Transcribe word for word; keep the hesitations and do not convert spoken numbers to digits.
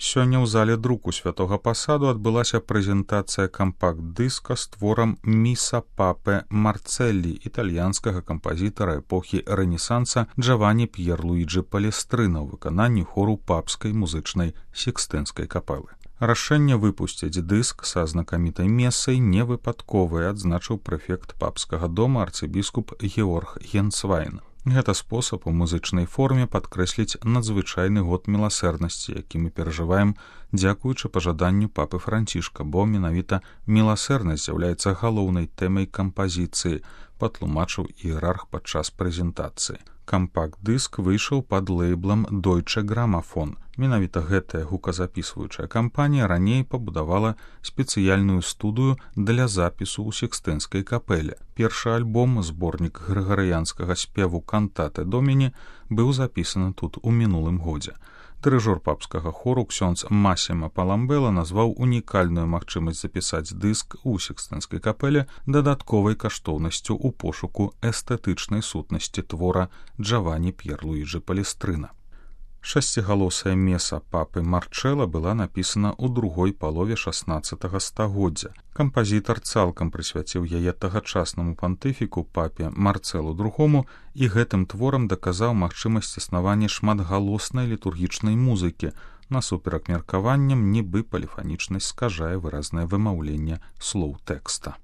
Сёння ў зале друку святога пасаду адбылася прэзентацыя кампакт-дыска з творам «Міса папе Марцэллі» італьянскага кампазітара эпохі Рэнесанса Джавані П'єрлуіджі Палестрына ў выкананні хору папскай музычнай сікстынскай капэлы. Рашэнне выпусціць дыск са знакамітай месай невыпадковае, адзначыў прэфект папскага дома арцыбіскуп Георг Генцвайн. Гэта спосаб у музычнай форме падкрэсліць надзвычайны год міласэрнасці, які мы перажываем дзякуючы пажаданню папы Францішка, бо менавіта міласэрнасць з'яўляецца галоўнай тэмай кампазіцыі, патлумачыў іерарх падчас прэзентацыі. Кампакт-дыск выйшаў пад лэйблам Deutsche Grammophon. Менавіта гэтая гуказапісваючая кампанія раней пабудавала спецыяльную студыю для запісу ў сікстынскай капэле. Першы альбом, зборнік грыгарыянскага спеву «Кантате Доміні», быў запісаны тут у мінулым годзе. Дырыжор папскага хору ксёндз Масіма Паламбела назваў унікальную магчымасць запісаць дыск у сікстынскай капэле дадатковай каштоўнасцю ў пошуку эстэтычнай сутнасці твора Джавані П'єрлуіджі Палестрына. Шасцігалосая меса папы Марчэла была напісана ў другой палове шаснаццатага стагоддзя. Кампазітар цалкам прысвяціў яе тагачаснаму пантыфіку папе Марцэлу другому і гэтым творам даказаў магчымасць існавання шматгалоснай літургічнай музыкі, насуперак меркаванням, нібы паліфанічнасць скажае выразнае вымаўленне слоў тэкста.